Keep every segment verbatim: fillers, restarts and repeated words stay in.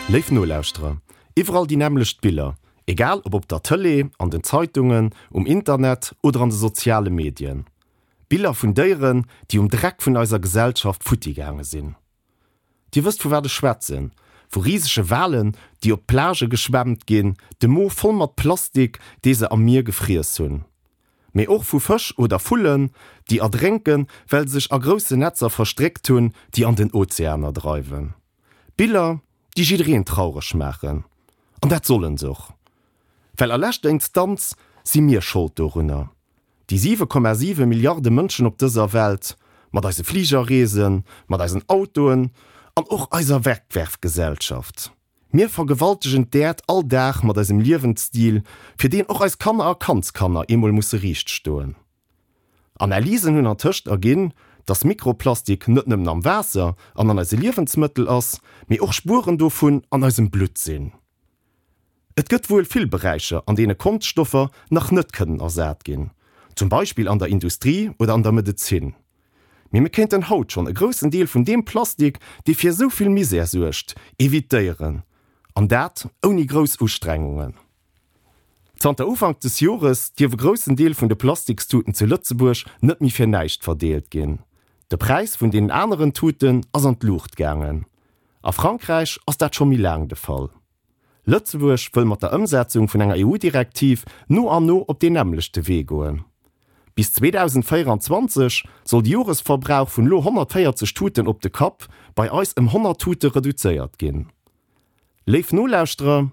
Léif Nolauschterer, iwwerall déi nämmlecht Biller, egal ob op der Tëlee, an den Zeitungen, um Internet oder an de soziale Medien. Biller vun Déieren, déi um Dreck vun eiser Gesellschaft futti gaange sinn. Dir wësst vu wat ech schwätzen, vu risege Walen, déi op d'Plagë geschwemmt ginn, de Mo voll mat Plastik, dee se am Mier gefriess hunn. Mee och vu Fësch oder Vullen, déi erdrénken, well se sech a groussen Netzer verstréckt hunn, déi an den Ozeaner dreiwen. Biller, déi jiddereen traureg maachen. An dat sollen se och. Well a leschter Instanz si mir Schold dorunner. Déi siwe Komma siwe Milliarde Mënschen op dëser Welt, mat eise Fligerreesen, mat eisen Autoen an och eiser Wegwerfgesellschaft. Mir vergewaltegen d'Äerd all Dag mat eisem Liewensstil, fir deen och eis Kanner a Kandskanner eemol musse riicht stoen. Analysen hunn antëscht erginn, dass Mikroplastik net nëmmen am Waasser an an eise Liewensmëttel ass, mee och Spueren dovun an eisem Blutt sinn. Et gëtt wuel vill Beräicher, an deene Konschtstoffer nach net kënnen ersat ginn, zum Beispill an der Industrie oder an der Medezin. Mee mir kéinten haut schonn e groussen Deel vun deem Plastik, dee fir esou vill Misär suergt, evitéieren, an dat ouni grouss Ustrengungen. Zanter Ufank des Jores dierf e groussen Deel vun de Plastikstuten zu Lëtzebuerg net méi fir näischt verdeelt ginn. De Präis vun deenen aneren Tuten ass an d'Luucht gaangen. A Frankräich ass dat scho méi laang de Fall. Lëtzebuerg wëll mat der Ëmsetzung vun enger EU-Direktiv no an no op deen nämmlechte Wee goen. Bis zweedausendvéierenzwanzeg soll de Joresverbrauch vun elo honnertvéierzeg Tuten op de Kapp bei eis ëm honnert Tute reduzéiert ginn. Léif Nolauschterer,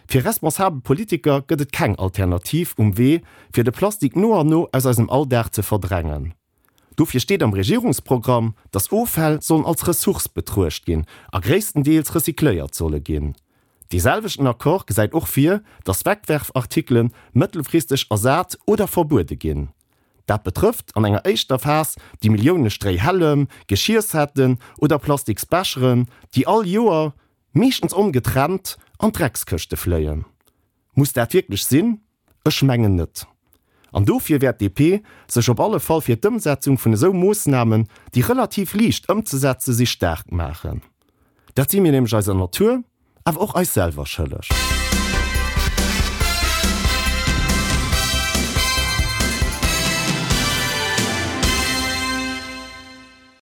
fir responsabel Politiker gëtt et keng Alternativ um Wee, fir de Plastik no an no aus eisem Alldag ze verdrängen. Dofir steet am Regierungsprogramm, dass Offäll sollen als Ressource betruecht ginn a gréisstendeels recycléiert solle ginn. Dee selwechten Accord gesäit och vir, dass Wegwerfartikele mëttelfristeg ersat oder verbuede ginn. Dat betrëfft an enger éischter Phas déi Millioune Stréihällem, Geschiersetten oder Plastiksbecheren, déi all Joer, meeschtens ongetrennt, an d'Dreckskëschte fléien. Muss dat wierklech sinn? Ech mengen net. An dofir wäert d'DP sech op alle Fall fir d'Ëmsetzung vun esou Moossnamen, déi relativ liicht ëmzesetze si, staark maachen. Dat si mir nämlech eiser Natur, awer och eis selwer schëlleg.